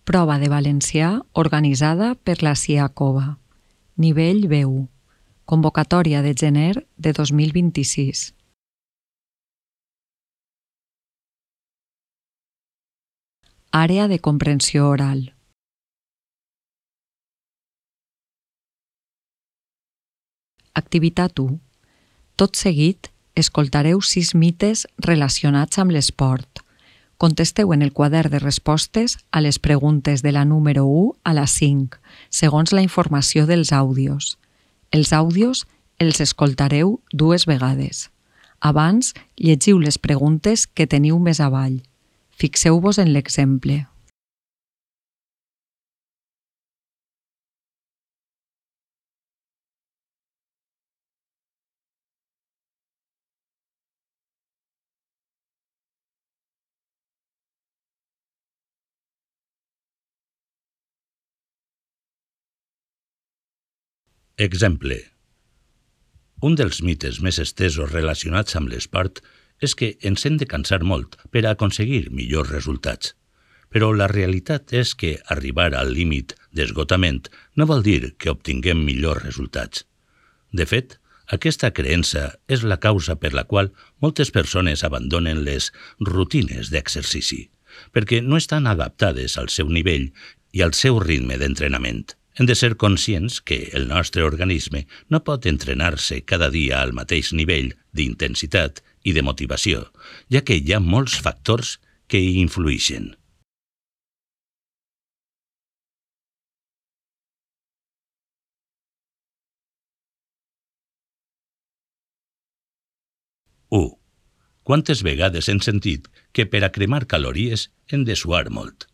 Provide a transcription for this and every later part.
Prova de valencià organitzada per la CIACOVA. Nivell B1. Convocatòria de gener de 2026. Àrea de comprensió oral. Activitat 1. Tot seguit, escoltareu 6 mites relacionats amb l'esport. Contesteu en el quadern de respostes a les preguntes de la número 1 a la 5, segons la informació dels àudios. Els àudios els escoltareu 2 vegades. Abans, llegiu les preguntes que teniu més avall. Fixeu-vos en l'exemple. Exemple. Un dels mites més estesos relacionats amb l'esport és que ens hem de cansar molt per a aconseguir millors resultats. Però la realitat és que arribar al límit d'esgotament no vol dir que obtinguem millors resultats. De fet, aquesta creença és la causa per la qual moltes persones abandonen les rutines d'exercici, perquè no estan adaptades al seu nivell i al seu ritme d'entrenament. Hem de ser conscients que el nostre organisme no pot entrenar-se cada dia al mateix nivell d'intensitat i de motivació, ja que hi ha molts factors que hi influïxen. U. Quantes vegades hem sentit que per a cremar calories hem de suar molt?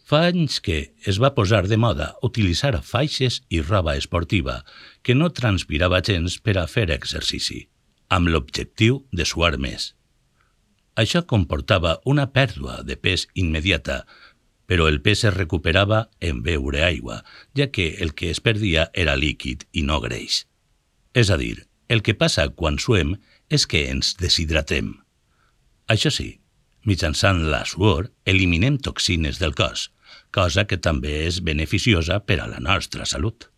Fa anys que es va posar de moda utilitzar faixes i roba esportiva que no transpirava gens per a fer exercici, amb l'objectiu de suar més. Això comportava una pèrdua de pes immediata, però el pes es recuperava en beure aigua, ja que el que es perdia era líquid i no greix. És a dir, el que passa quan suem és que ens deshidratem. Això sí, mitjançant la suor eliminem toxines del cos, cosa que també és beneficiosa per a la nostra salut.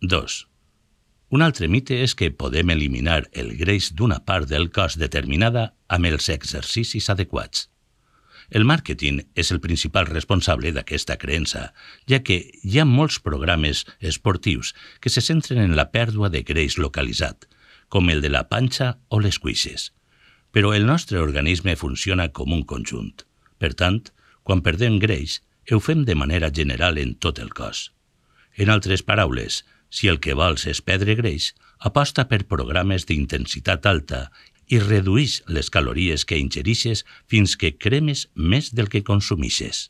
Dos. Un altre mite és que podem eliminar el greix d'una part del cos determinada amb els exercicis adequats. El màrqueting és el principal responsable d'aquesta creença, ja que hi ha molts programes esportius que se centren en la pèrdua de greix localitzat, com el de la panxa o les cuixes. Però el nostre organisme funciona com un conjunt. Per tant, quan perdem greix, ho fem de manera general en tot el cos. En altres paraules, si el que vols és perdre greix, aposta per programes d'intensitat alta i reduïx les calories que ingerixes fins que cremes més del que consumixes.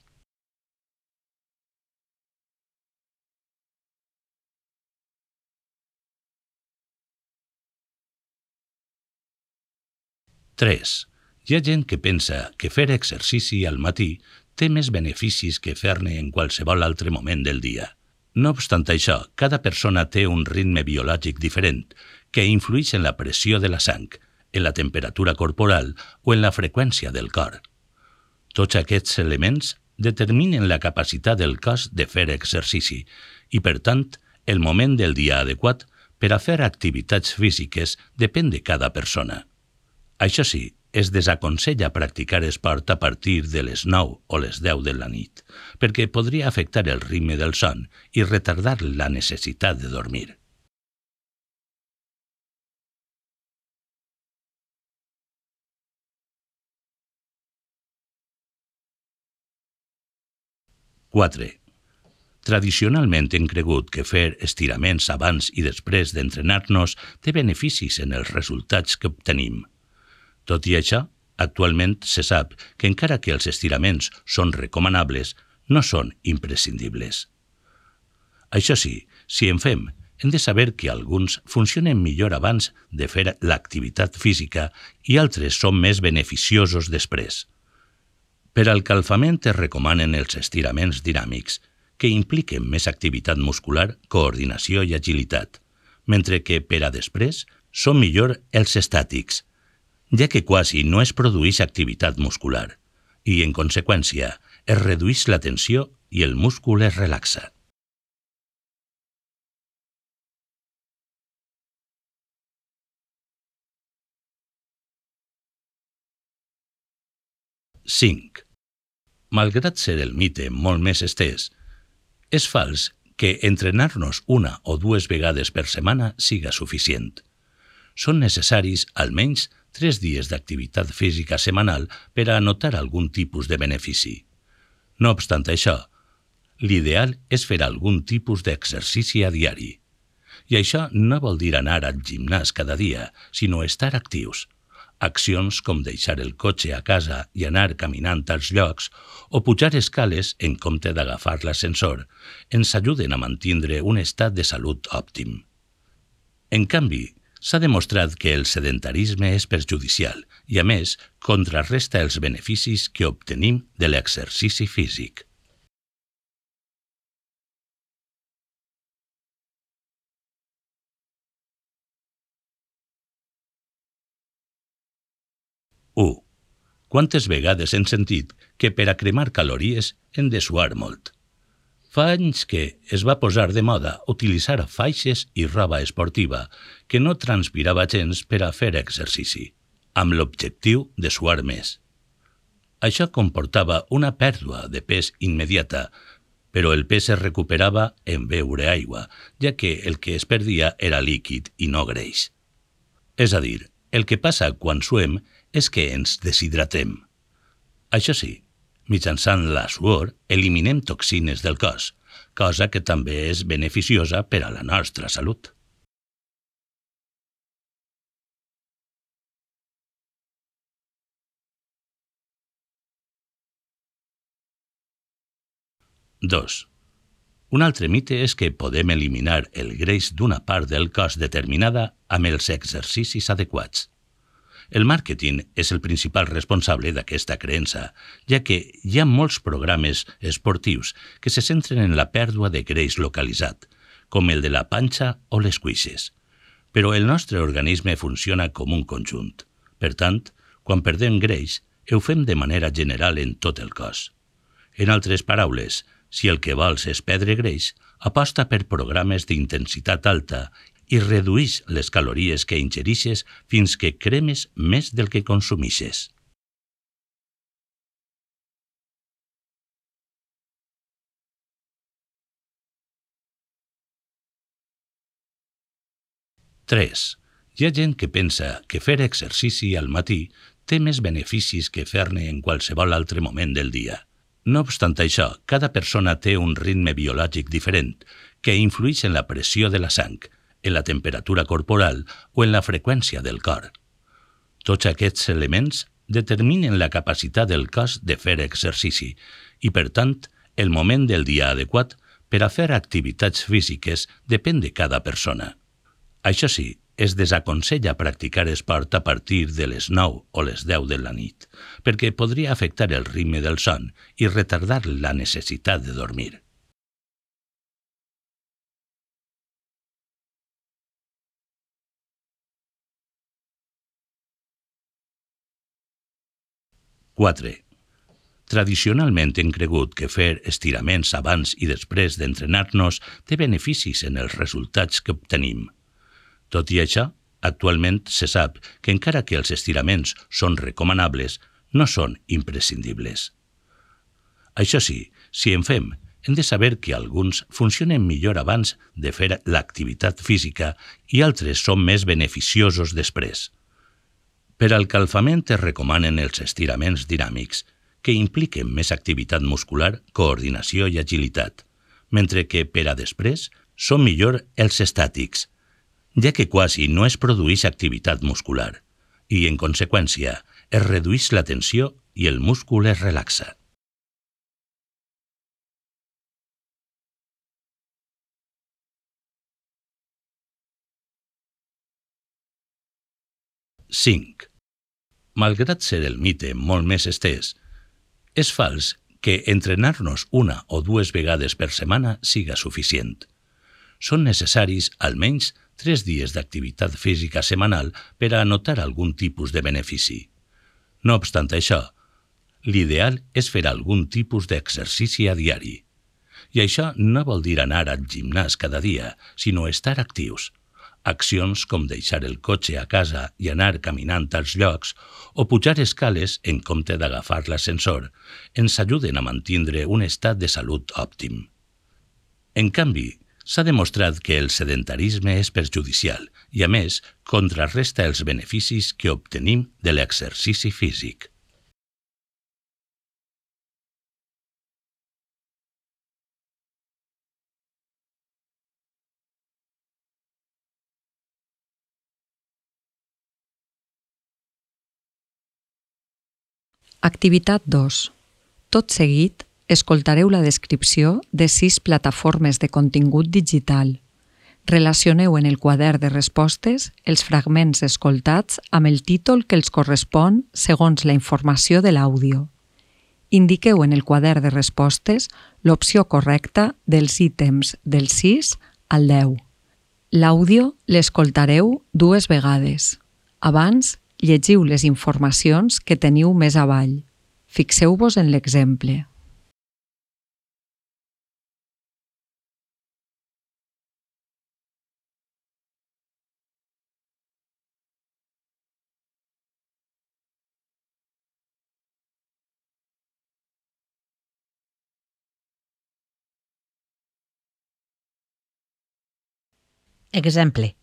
Tres. Hi ha gent que pensa que fer exercici al matí té més beneficis que fer-ne en qualsevol altre moment del dia. No obstant això, cada persona té un ritme biològic diferent que influeix en la pressió de la sang, en la temperatura corporal o en la freqüència del cor. Tots aquests elements determinen la capacitat del cos de fer exercici i, per tant, el moment del dia adequat per a fer activitats físiques depèn de cada persona. Això sí, es desaconsella practicar esport a partir de les 9 o les 10 de la nit, perquè podria afectar el ritme del son i retardar la necessitat de dormir. Quatre. Tradicionalment hem cregut que fer estiraments abans i després d'entrenar-nos té beneficis en els resultats que obtenim. Tot i això, actualment se sap que encara que els estiraments són recomanables, no són imprescindibles. Això sí, si en fem, hem de saber que alguns funcionen millor abans de fer l'activitat física i altres són més beneficiosos després. Per al calfament es recomanen els estiraments dinàmics, que impliquen més activitat muscular, coordinació i agilitat, mentre que per a després són millor els estàtics, ja que quasi no es produeix activitat muscular i, en conseqüència, es redueix la tensió i el múscul es relaxa. Cinc. Malgrat ser el mite molt més estès, és fals que entrenar-nos una o dues vegades per setmana siga suficient. Són necessaris almenys 3 dies d'activitat física setmanal per a notar algun tipus de benefici. No obstant això, l'ideal és fer algun tipus d'exercici a diari. I això no vol dir anar al gimnàs cada dia, sinó estar actius. Accions com deixar el cotxe a casa i anar caminant als llocs o pujar escales en compte d'agafar l'ascensor ens ajuden a mantenir un estat de salut òptim. En canvi, s'ha demostrat que el sedentarisme és perjudicial i, a més, contrarresta els beneficis que obtenim de l'exercici físic. U. Quantes vegades hem sentit que per a cremar calories hem de suar molt? Fa anys que es va posar de moda utilitzar faixes i roba esportiva que no transpirava gens per a fer exercici, amb l'objectiu de suar més. Això comportava una pèrdua de pes immediata, però el pes es recuperava en beure aigua, ja que el que es perdia era líquid i no greix. És a dir, el que passa quan suem és que ens deshidratem. Això sí, mitjançant la suor eliminem toxines del cos, cosa que també és beneficiosa per a la nostra salut. Dos. Un altre mite és que podem eliminar el greix d'una part del cos determinada amb els exercicis adequats. El màrqueting és el principal responsable d'aquesta creença, ja que hi ha molts programes esportius que se centren en la pèrdua de greix localitzat, com el de la panxa o les cuixes. Però el nostre organisme funciona com un conjunt. Per tant, quan perdem greix, ho fem de manera general en tot el cos. En altres paraules, si el que vols és perdre greix, aposta per programes d'intensitat alta i redueix les calories que ingereixes fins que cremes més del que consumeixes. Tres. Hi ha gent que pensa que fer exercici al matí té més beneficis que fer-ne en qualsevol altre moment del dia. No obstant això, cada persona té un ritme biològic diferent que influeix en la pressió de la sang, en la temperatura corporal o en la freqüència del cor. Tots aquests elements determinen la capacitat del cos de fer exercici i, per tant, el moment del dia adequat per a fer activitats físiques depèn de cada persona. Això sí, es desaconsella practicar esport a partir de les 9 o les 10 de la nit, perquè podria afectar el ritme del son i retardar la necessitat de dormir. Quatre. Tradicionalment hem cregut que fer estiraments abans i després d'entrenar-nos té beneficis en els resultats que obtenim. Tot i això, actualment se sap que encara que els estiraments són recomanables, no són imprescindibles. Això sí, si en fem, hem de saber que alguns funcionen millor abans de fer l'activitat física i altres són més beneficiosos després. Per al calfament es recomanen els estiraments dinàmics, que impliquen més activitat muscular, coordinació i agilitat, mentre que per a després són millor els estàtics, ja que quasi no es produeix activitat muscular i, en conseqüència, es redueix la tensió i el múscul es relaxa. Cinc. Malgrat ser el mite molt més estès, és fals que entrenar-nos una o dues vegades per setmana siga suficient. Són necessaris almenys 3 dies d'activitat física setmanal per a anotar algun tipus de benefici. No obstant això, l'ideal és fer algun tipus d'exercici a diari. I això no vol dir anar al gimnàs cada dia, sinó estar actius. Accions com deixar el cotxe a casa i anar caminant als llocs o pujar escales en compte d'agafar l'ascensor ens ajuden a mantenir un estat de salut òptim. En canvi, s'ha demostrat que el sedentarisme és perjudicial i, a més, contrarresta els beneficis que obtenim de l'exercici físic. Activitat 2. Tot seguit, escoltareu la descripció de 6 plataformes de contingut digital. Relacioneu en el quadern de respostes els fragments escoltats amb el títol que els correspon segons la informació de l'àudio. Indiqueu en el quadern de respostes l'opció correcta dels ítems del 6 al 10. L'àudio l'escoltareu 2 vegades. Abans, llegiu les informacions que teniu més avall. Fixeu-vos en l'exemple. Exemple.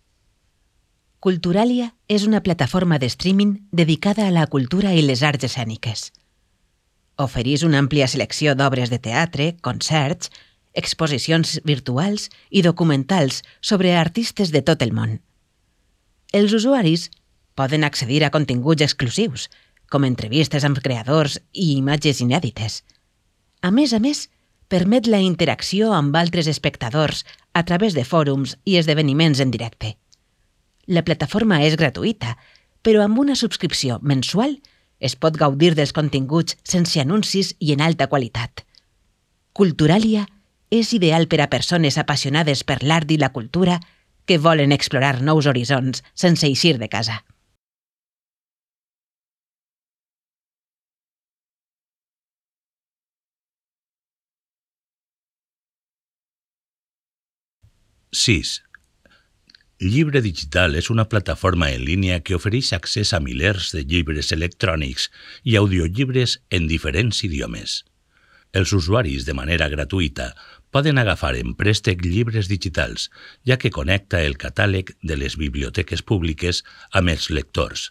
Culturalia és una plataforma de streaming dedicada a la cultura i les arts escèniques. Ofereix una àmplia selecció d'obres de teatre, concerts, exposicions virtuals i documentals sobre artistes de tot el món. Els usuaris poden accedir a continguts exclusius, com entrevistes amb creadors i imatges inèdites. A més, permet la interacció amb altres espectadors a través de fòrums i esdeveniments en directe. La plataforma és gratuïta, però amb una subscripció mensual es pot gaudir dels continguts sense anuncis i en alta qualitat. Culturalia és ideal per a persones apassionades per l'art i la cultura que volen explorar nous horitzons sense eixir de casa. Sis. Llibre Digital és una plataforma en línia que ofereix accés a milers de llibres electrònics i audiollibres en diferents idiomes. Els usuaris, de manera gratuïta, poden agafar en préstec llibres digitals, ja que connecta el catàleg de les biblioteques públiques amb els lectors.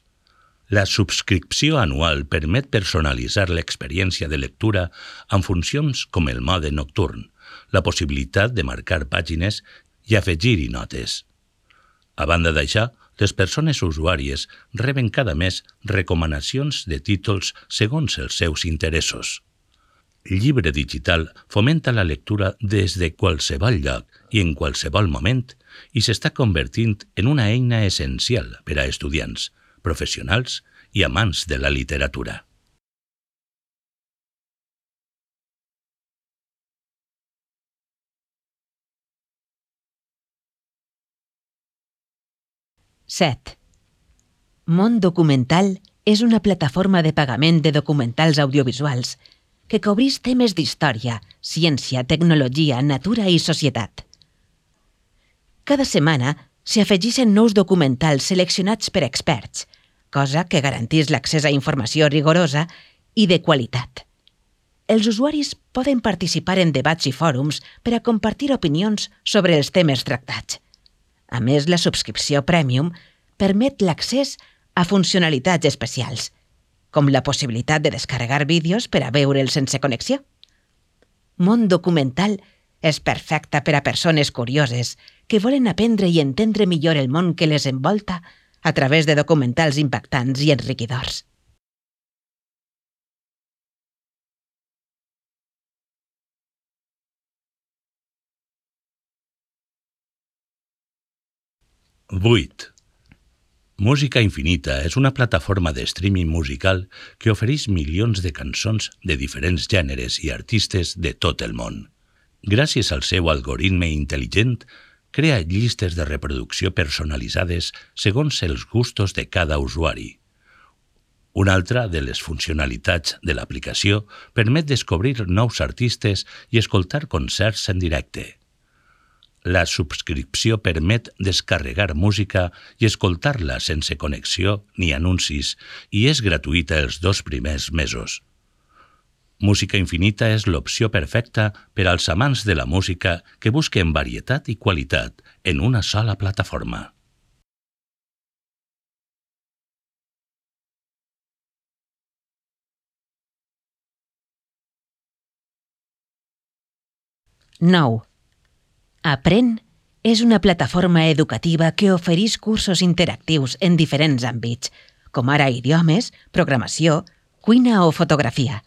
La subscripció anual permet personalitzar l'experiència de lectura amb funcions com el mode nocturn, la possibilitat de marcar pàgines i afegir-hi notes. A banda d'això, les persones usuàries reben cada mes recomanacions de títols segons els seus interessos. Llibre Digital fomenta la lectura des de qualsevol lloc i en qualsevol moment i s'està convertint en una eina essencial per a estudiants, professionals i amants de la literatura. Set. Món Documental és una plataforma de pagament de documentals audiovisuals que cobreix temes d'història, ciència, tecnologia, natura i societat. Cada setmana s'hi afegeixen nous documentals seleccionats per experts, cosa que garanteix l'accés a informació rigorosa i de qualitat. Els usuaris poden participar en debats i fòrums per a compartir opinions sobre els temes tractats. A més, la subscripció Premium permet l'accés a funcionalitats especials, com la possibilitat de descarregar vídeos per a veure'ls sense connexió. Món Documental és perfecta per a persones curioses que volen aprendre i entendre millor el món que les envolta a través de documentals impactants i enriquidors. Vuit. Música Infinita és una plataforma de streaming musical que ofereix milions de cançons de diferents gèneres i artistes de tot el món. Gràcies al seu algoritme intel·ligent, crea llistes de reproducció personalitzades segons els gustos de cada usuari. Una altra de les funcionalitats de l'aplicació permet descobrir nous artistes i escoltar concerts en directe. La subscripció permet descarregar música i escoltar-la sense connexió ni anuncis i és gratuïta els 2 primers mesos. Música Infinita és l'opció perfecta per als amants de la música que busquen varietat i qualitat en una sola plataforma. Nou. Aprèn és una plataforma educativa que ofereix cursos interactius en diferents àmbits, com ara idiomes, programació, cuina o fotografia.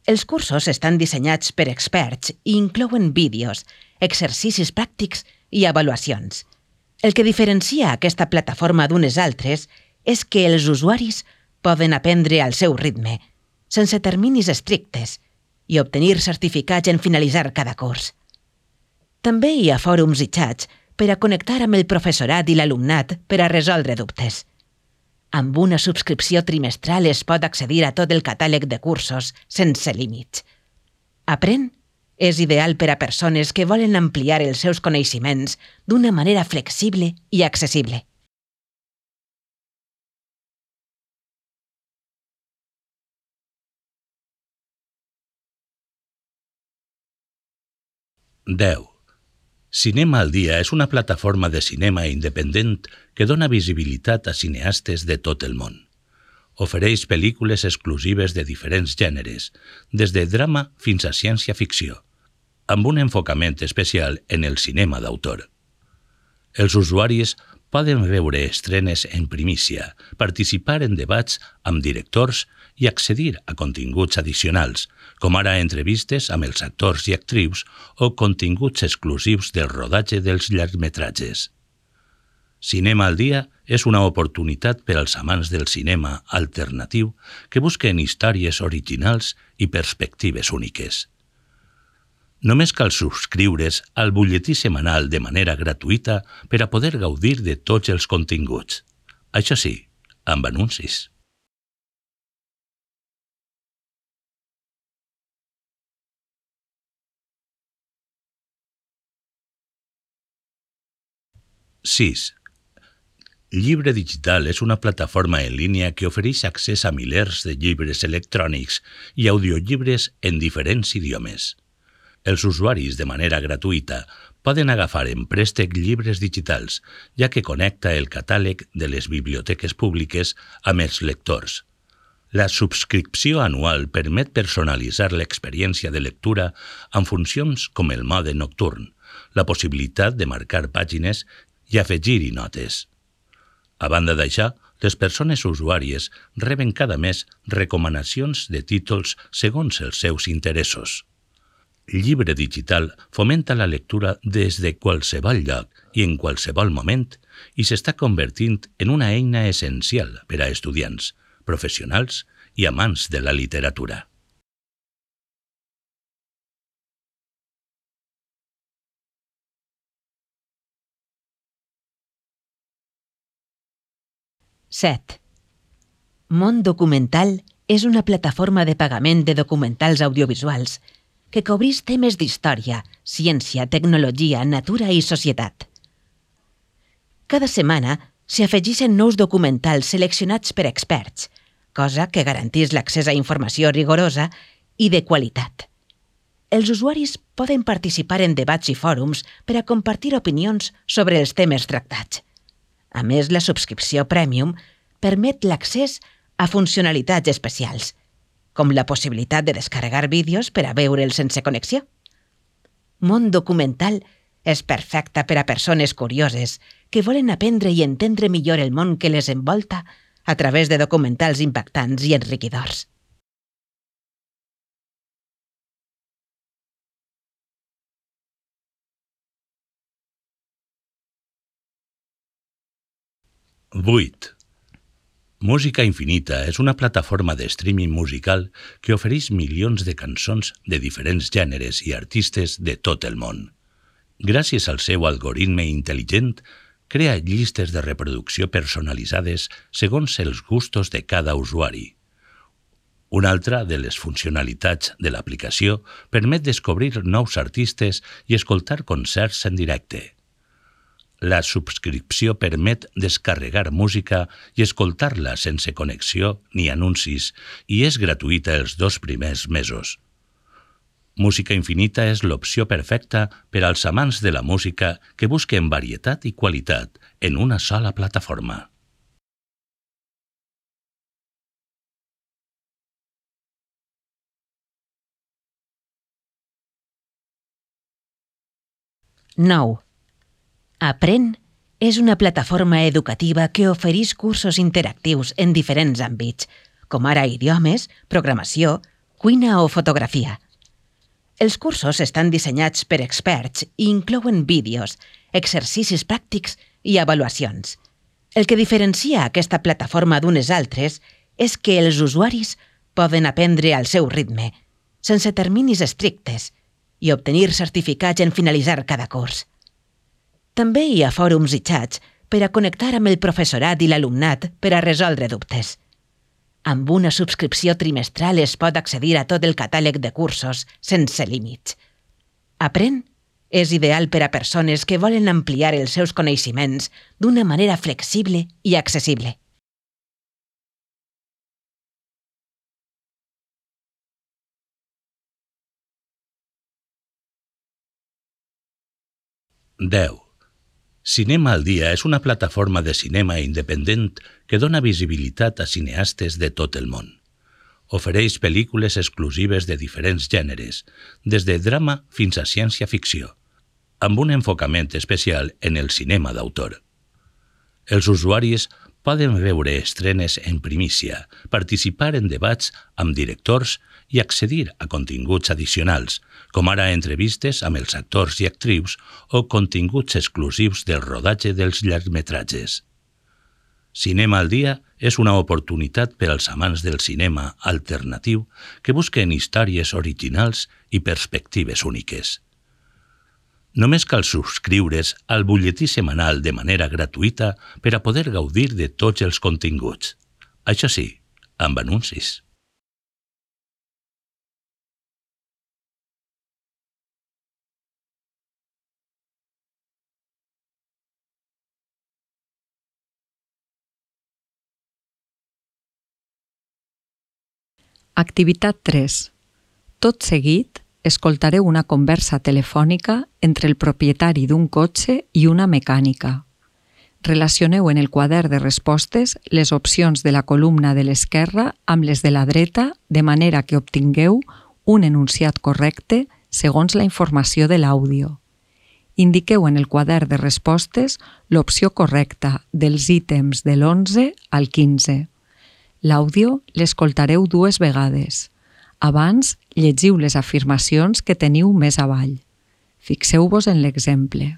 Els cursos estan dissenyats per experts i inclouen vídeos, exercicis pràctics i avaluacions. El que diferencia aquesta plataforma d'unes altres és que els usuaris poden aprendre al seu ritme, sense terminis estrictes, i obtenir certificats en finalitzar cada curs. També hi ha fòrums i xats per a connectar amb el professorat i l'alumnat per a resoldre dubtes. Amb una subscripció trimestral es pot accedir a tot el catàleg de cursos sense límits. Aprèn és ideal per a persones que volen ampliar els seus coneixements d'una manera flexible i accessible. Cinema al Dia és una plataforma de cinema independent que dona visibilitat a cineastes de tot el món. Ofereix pel·lícules exclusives de diferents gèneres, des de drama fins a ciència-ficció, amb un enfocament especial en el cinema d'autor. Els usuaris poden veure estrenes en primícia, participar en debats amb directors i accedir a continguts addicionals, com ara entrevistes amb els actors i actrius o continguts exclusius del rodatge dels llargmetratges. Cinema al Dia és una oportunitat per als amants del cinema alternatiu que busquen històries originals i perspectives úniques. Només cal subscriure's al butlletí setmanal de manera gratuïta per a poder gaudir de tots els continguts. Això sí, amb anuncis. Llibre Digital és una plataforma en línia que ofereix accés a milers de llibres electrònics i audiollibres en diferents idiomes. Els usuaris, de manera gratuïta, poden agafar en préstec llibres digitals, ja que connecta el catàleg de les biblioteques públiques amb els lectors. La subscripció anual permet personalitzar l'experiència de lectura amb funcions com el mode nocturn, la possibilitat de marcar pàgines i afegir-hi notes. A banda d'això, les persones usuàries reben cada mes recomanacions de títols segons els seus interessos. Llibre Digital fomenta la lectura des de qualsevol lloc i en qualsevol moment i s'està convertint en una eina essencial per a estudiants, professionals i amants de la literatura. Món Documental és una plataforma de pagament de documentals audiovisuals que cobreix temes d'història, ciència, tecnologia, natura i societat. Cada setmana s'hi afegeixen nous documentals seleccionats per experts, cosa que garanteix l'accés a informació rigorosa i de qualitat. Els usuaris poden participar en debats i fòrums per a compartir opinions sobre els temes tractats. A més, la subscripció Premium permet l'accés a funcionalitats especials, com la possibilitat de descarregar vídeos per a veure'ls sense connexió. Món Documental és perfecta per a persones curioses que volen aprendre i entendre millor el món que les envolta a través de documentals impactants i enriquidors. Música Infinita és una plataforma de streaming musical que ofereix milions de cançons de diferents gèneres i artistes de tot el món. Gràcies al seu algoritme intel·ligent, crea llistes de reproducció personalitzades segons els gustos de cada usuari. Una altra de les funcionalitats de l'aplicació permet descobrir nous artistes i escoltar concerts en directe. La subscripció permet descarregar música i escoltar-la sense connexió ni anuncis i és gratuïta els 2 primers mesos. Música Infinita és l'opció perfecta per als amants de la música que busquen varietat i qualitat en una sola plataforma. Nou. Aprèn és una plataforma educativa que ofereix cursos interactius en diferents àmbits, com ara idiomes, programació, cuina o fotografia. Els cursos estan dissenyats per experts i inclouen vídeos, exercicis pràctics i avaluacions. El que diferencia aquesta plataforma d'unes altres és que els usuaris poden aprendre al seu ritme, sense terminis estrictes, i obtenir certificats en finalitzar cada curs. També hi ha fòrums i xats per a connectar amb el professorat i l'alumnat per a resoldre dubtes. Amb una subscripció trimestral es pot accedir a tot el catàleg de cursos sense límits. Aprèn és ideal per a persones que volen ampliar els seus coneixements d'una manera flexible i accessible. Deu. Cinema al Dia és una plataforma de cinema independent que dona visibilitat a cineastes de tot el món. Ofereix pel·lícules exclusives de diferents gèneres, des de drama fins a ciència-ficció, amb un enfocament especial en el cinema d'autor. Els usuaris poden veure estrenes en primícia, participar en debats amb directors i accedir a continguts addicionals, com ara entrevistes amb els actors i actrius o continguts exclusius del rodatge dels llargmetratges. Cinema al Dia és una oportunitat per als amants del cinema alternatiu que busquen històries originals i perspectives úniques. Només cal subscriure's al butlletí setmanal de manera gratuïta per a poder gaudir de tots els continguts. Això sí, amb anuncis. Activitat 3. Tot seguit, escoltareu una conversa telefònica entre el propietari d'un cotxe i una mecànica. Relacioneu en el quadern de respostes les opcions de la columna de l'esquerra amb les de la dreta de manera que obtingueu un enunciat correcte segons la informació de l'àudio. Indiqueu en el quadern de respostes l'opció correcta dels ítems de l'11 al 15. L'àudio l'escoltareu 2 vegades. Abans, llegiu les afirmacions que teniu més avall. Fixeu-vos en l'exemple.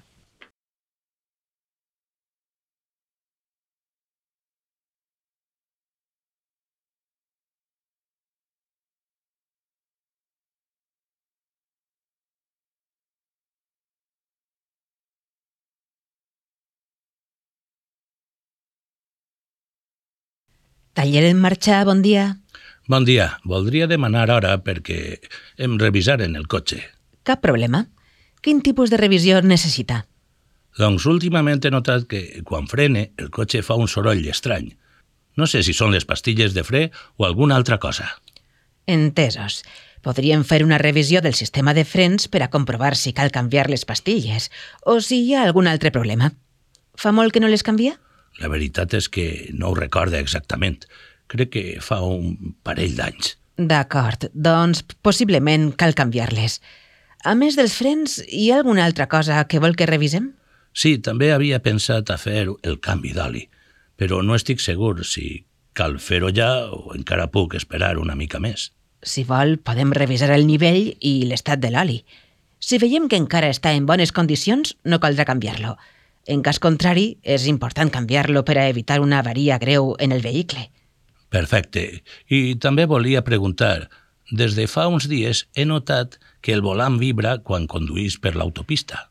Taller en marxa, bon dia. Bon dia. Voldria demanar hora perquè em revisaren el cotxe. Cap problema. Quin tipus de revisió necessita? Doncs últimament he notat que quan frene el cotxe fa un soroll estrany. No sé si són les pastilles de fre o alguna altra cosa. Entesos. Podríem fer una revisió del sistema de frens per a comprovar si cal canviar les pastilles o si hi ha algun altre problema. Fa molt que no les canvia? La veritat és que no ho recorda exactament. Crec que fa un parell d'anys. D'acord, doncs possiblement cal canviar-les. A més dels frens, hi ha alguna altra cosa que vol que revisem? Sí, també havia pensat a fer el canvi d'oli, però no estic segur si cal fer-ho ja o encara puc esperar una mica més. Si vol, podem revisar el nivell i l'estat de l'oli. Si veiem que encara està en bones condicions, no caldrà canviar-lo. En cas contrari, és important canviar-lo per a evitar una avaria greu en el vehicle. Perfecte. I també volia preguntar, des de fa uns dies he notat que el volant vibra quan conduïs per l'autopista.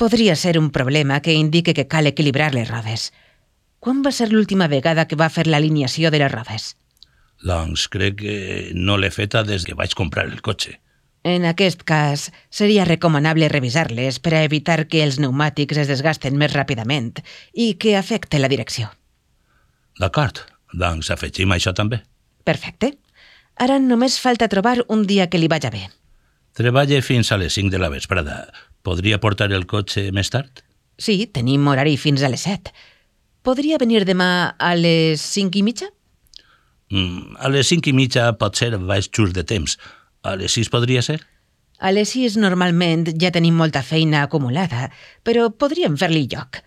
Podria ser un problema que indique que cal equilibrar les rodes. Quan va ser l'última vegada que va fer l'alineació de les rodes? Doncs crec que no l'he feta des que vaig comprar el cotxe. En aquest cas, seria recomanable revisar-les per a evitar que els pneumàtics es desgasten més ràpidament i que afecte la direcció. D'acord, doncs afegim això també. Perfecte. Ara només falta trobar un dia que li vaja bé. Treballe fins a les 5 de la vesprada. Podria portar el cotxe més tard? Sí, tenim horari fins a les 7. Podria venir demà a les 5:30? A les 5:30 potser vaig just de temps. A les 6 podria ser? A les 6 normalment ja tenim molta feina acumulada, però podríem fer-li lloc.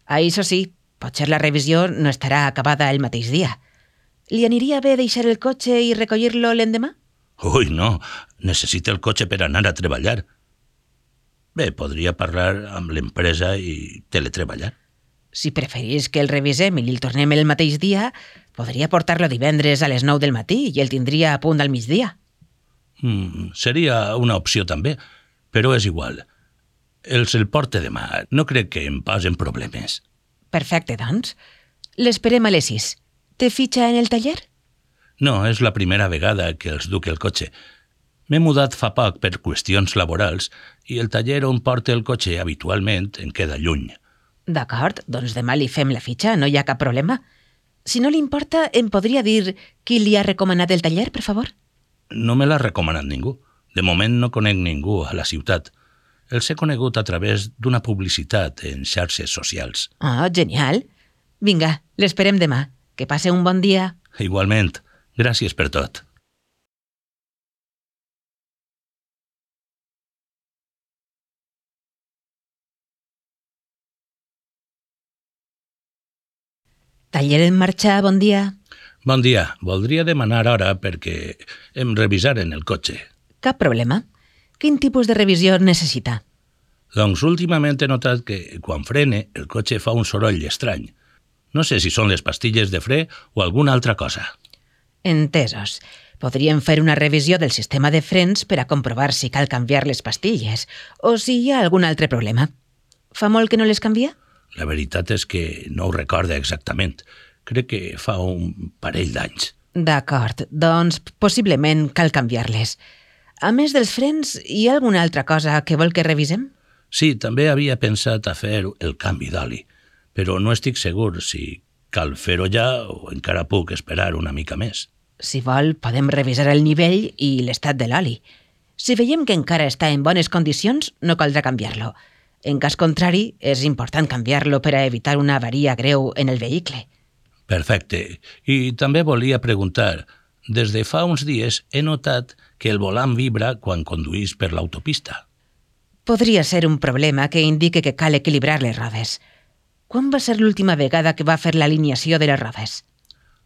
Això sí, potser la revisió no estarà acabada el mateix dia. Li aniria bé deixar el cotxe i recollir-lo l'endemà? Ui, no. Necessita el cotxe per anar a treballar. Bé, podria parlar amb l'empresa i teletreballar. Si preferís que el revisem i el tornem el mateix dia, podria portar-lo divendres a les 9 del matí i el tindria a punt al migdia. Seria una opció també, però és igual. El porte demà. No crec que em posen problemes. Perfecte, doncs. L'esperem a les 6. Té fitxa en el taller? No, és la primera vegada que els duc el cotxe. M'he mudat fa poc per qüestions laborals i el taller on porta el cotxe habitualment em queda lluny. D'acord, doncs demà li fem la fitxa, no hi ha cap problema. Si no li importa, em podria dir qui li ha recomanat el taller, per favor? No me l'ha recomanat ningú. De moment no conec ningú a la ciutat. Els he conegut a través d'una publicitat en xarxes socials. Oh, genial. Vinga, l'esperem demà. Que passe un bon dia. Igualment. Gràcies per tot. Taller en marxa, bon dia. Bon dia. Voldria demanar hora perquè em revisaren el cotxe. Cap problema. Quin tipus de revisió necessita? Doncs últimament he notat que quan frene el cotxe fa un soroll estrany. No sé si són les pastilles de fre o alguna altra cosa. Entesos. Podríem fer una revisió del sistema de frens per a comprovar si cal canviar les pastilles o si hi ha algun altre problema. Fa molt que no les canvia? La veritat és que no ho recorda exactament. Crec que fa un parell d'anys. D'acord, doncs possiblement cal canviar-les. A més dels frens, hi ha alguna altra cosa que vol que revisem? Sí, també havia pensat a fer el canvi d'oli, però no estic segur si cal fer-ho ja o encara puc esperar una mica més. Si vol, podem revisar el nivell i l'estat de l'oli. Si veiem que encara està en bones condicions, no caldrà canviar-lo. En cas contrari, és important canviar-lo per a evitar una avaria greu en el vehicle. Perfecte. I també volia preguntar, des de fa uns dies he notat que el volant vibra quan conduís per l'autopista. Podria ser un problema que indique que cal equilibrar les rodes. Quan va ser l'última vegada que va fer l'alineació de les rodes?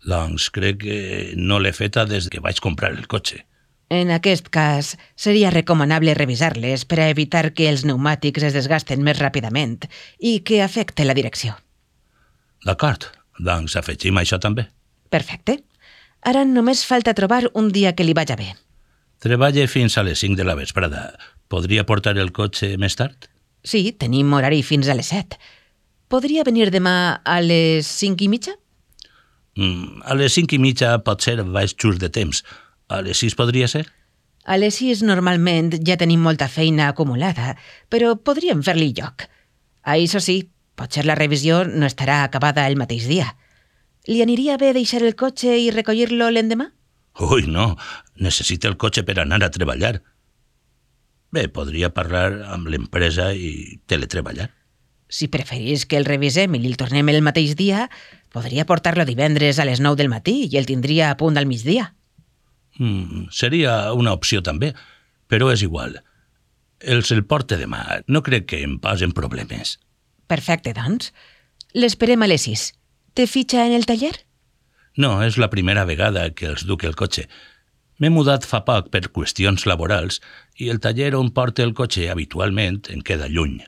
Doncs crec que no l'he feta des que vaig comprar el cotxe. En aquest cas, seria recomanable revisar-les per a evitar que els pneumàtics es desgasten més ràpidament i que afecte la direcció. D'acord, doncs afegim això també. Perfecte. Ara només falta trobar un dia que li vaja bé. Treballe fins a les 5 de la vesprada. Podria portar el cotxe més tard? Sí, tenim horari fins a les 7. Podria venir demà a les 5:30? A les 5:30 potser vaig just de temps. A les 6 podria ser? A les 6 normalment ja tenim molta feina acumulada, però podríem fer-li lloc. Això sí, potser la revisió no estarà acabada el mateix dia. Li aniria bé deixar el cotxe i recollir-lo l'endemà? Ui, no. Necessita el cotxe per anar a treballar. Bé, podria parlar amb l'empresa i teletreballar. Si preferís que el revisem i el tornem el mateix dia, podria portar-lo divendres a les 9 del matí i el tindria a punt al migdia. Seria una opció també, però és igual. El porte demà. No crec que em posen problemes. Perfecte, doncs. L'esperem a les 6. Té fitxa en el taller? No, és la primera vegada que els duc el cotxe. M'he mudat fa poc per qüestions laborals i el taller on porta el cotxe habitualment em queda lluny.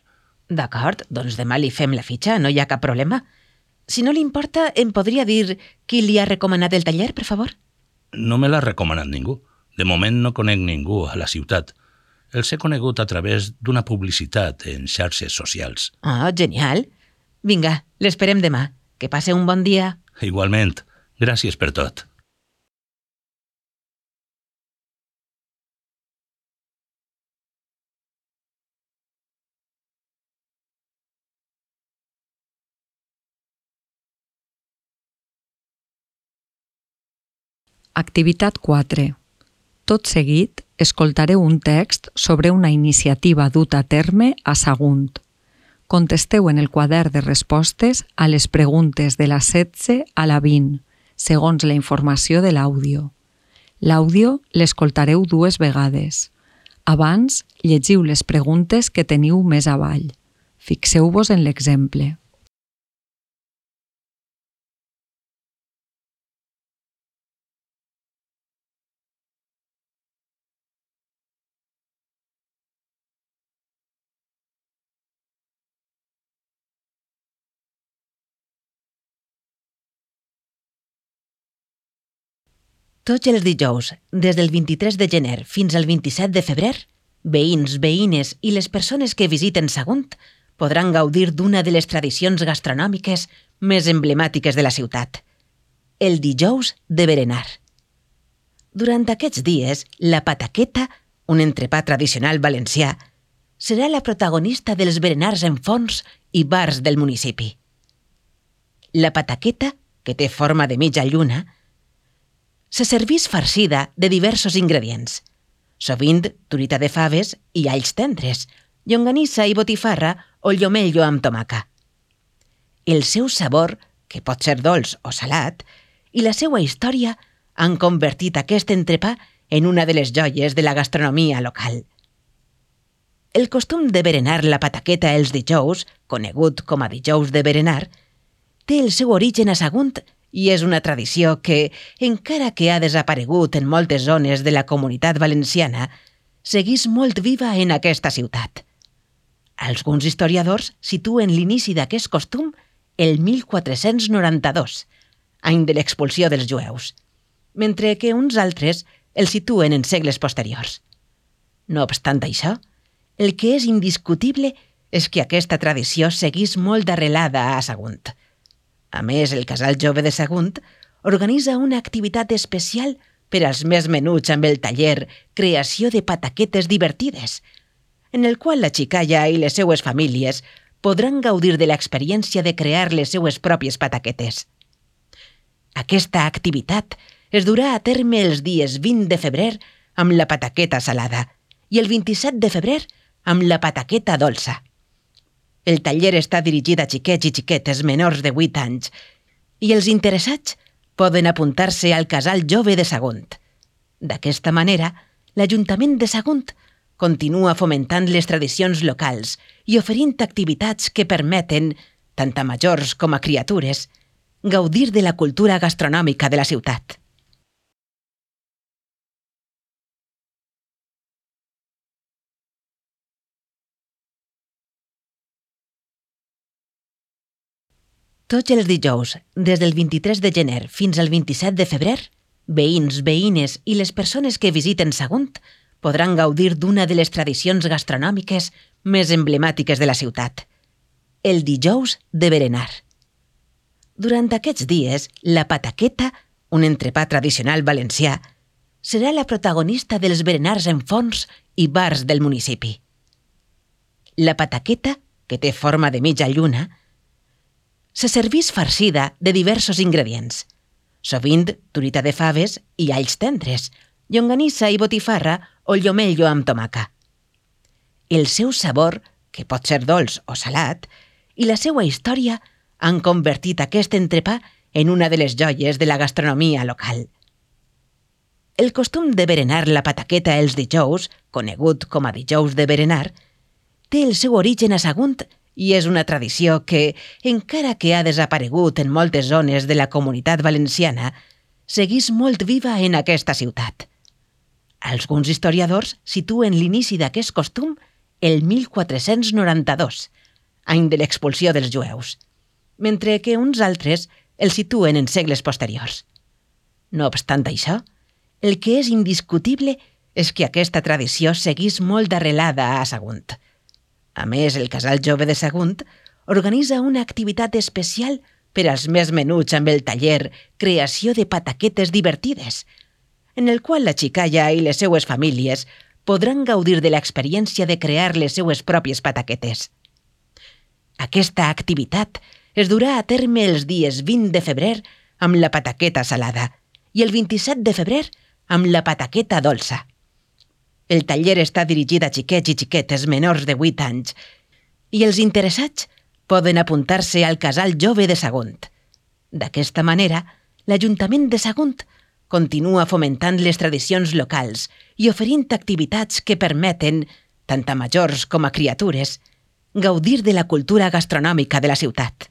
D'acord, doncs demà li fem la fitxa, no hi ha cap problema. Si no li importa, em podria dir qui li ha recomanat el taller, per favor? No me l'ha recomanat ningú. De moment no conec ningú a la ciutat. Els he conegut a través d'una publicitat en xarxes socials. Oh, genial. Vinga, l'esperem demà. Que passe un bon dia. Igualment, gràcies per tot. Activitat 4. Tot seguit, escoltareu un text sobre una iniciativa duta a terme a Sagunt. Contesteu en el quadern de respostes a les preguntes de la 16 a la 20, segons la informació de l'àudio. L'àudio l'escoltareu 2 vegades. Abans, llegiu les preguntes que teniu més avall. Fixeu-vos en l'exemple. Tots els dijous, des del 23 de gener fins al 27 de febrer, veïns, veïnes i les persones que visiten Sagunt podran gaudir d'una de les tradicions gastronòmiques més emblemàtiques de la ciutat, el dijous de berenar. Durant aquests dies, la pataqueta, un entrepà tradicional valencià, serà la protagonista dels berenars en forns i bars del municipi. La pataqueta, que té forma de mitja lluna, se servís farcida de diversos ingredients, sovint truita de faves i alls tendres, llonganissa i botifarra o llomello amb tomaca. El seu sabor, que pot ser dolç o salat, i la seva història han convertit aquest entrepà en una de les joies de la gastronomia local. El costum de berenar la pataqueta els dijous, conegut com a dijous de berenar, té el seu origen a Sagunt i és una tradició que, encara que ha desaparegut en moltes zones de la comunitat valenciana, segueix molt viva en aquesta ciutat. Alguns historiadors situen l'inici d'aquest costum el 1492, any de l'expulsió dels jueus, mentre que uns altres el situen en segles posteriors. No obstant això, el que és indiscutible és que aquesta tradició segueix molt arrelada a Sagunt. A més, el Casal Jove de Sagunt organitza una activitat especial per als més menuts amb el taller Creació de Pataquetes Divertides, en el qual la xicalla i les seues famílies podran gaudir de l'experiència de crear les seues pròpies pataquetes. Aquesta activitat es durà a terme els dies 20 de febrer amb la pataqueta salada i el 27 de febrer amb la pataqueta dolça. El taller està dirigit a xiquets i xiquetes menors de 8 anys i els interessats poden apuntar-se al Casal Jove de Sagunt. D'aquesta manera, l'Ajuntament de Sagunt continua fomentant les tradicions locals i oferint activitats que permeten, tant a majors com a criatures, gaudir de la cultura gastronòmica de la ciutat. Tots els dijous, des del 23 de gener fins al 27 de febrer, veïns, veïnes i les persones que visiten Sagunt podran gaudir d'una de les tradicions gastronòmiques més emblemàtiques de la ciutat, el dijous de berenar. Durant aquests dies, la pataqueta, un entrepà tradicional valencià, serà la protagonista dels berenars en forns i bars del municipi. La pataqueta, que té forma de mitja lluna, se servís farcida de diversos ingredients, sovint truita de faves i alls tendres, llonganissa i botifarra o llomello amb tomaca. El seu sabor, que pot ser dolç o salat, i la seva història han convertit aquest entrepà en una de les joies de la gastronomia local. El costum de berenar la pataqueta els dijous, conegut com a dijous de berenar, té el seu origen a Sagunt i és una tradició que, encara que ha desaparegut en moltes zones de la comunitat valenciana, segueix molt viva en aquesta ciutat. Alguns historiadors situen l'inici d'aquest costum el 1492, any de l'expulsió dels jueus, mentre que uns altres el situen en segles posteriors. No obstant això, el que és indiscutible és que aquesta tradició seguís molt arrelada a Sagunt. A més, el Casal Jove de Sagunt organitza una activitat especial per als més menuts amb el taller Creació de Pataquetes Divertides, en el qual la xicalla i les seues famílies podran gaudir de l'experiència de crear les seues pròpies pataquetes. Aquesta activitat es durà a terme els dies 20 de febrer amb la pataqueta salada i el 27 de febrer amb la pataqueta dolça. El taller està dirigit a xiquets i xiquetes menors de 8 anys i els interessats poden apuntar-se al Casal Jove de Sagunt. D'aquesta manera, l'Ajuntament de Sagunt continua fomentant les tradicions locals i oferint activitats que permeten, tant a majors com a criatures, gaudir de la cultura gastronòmica de la ciutat.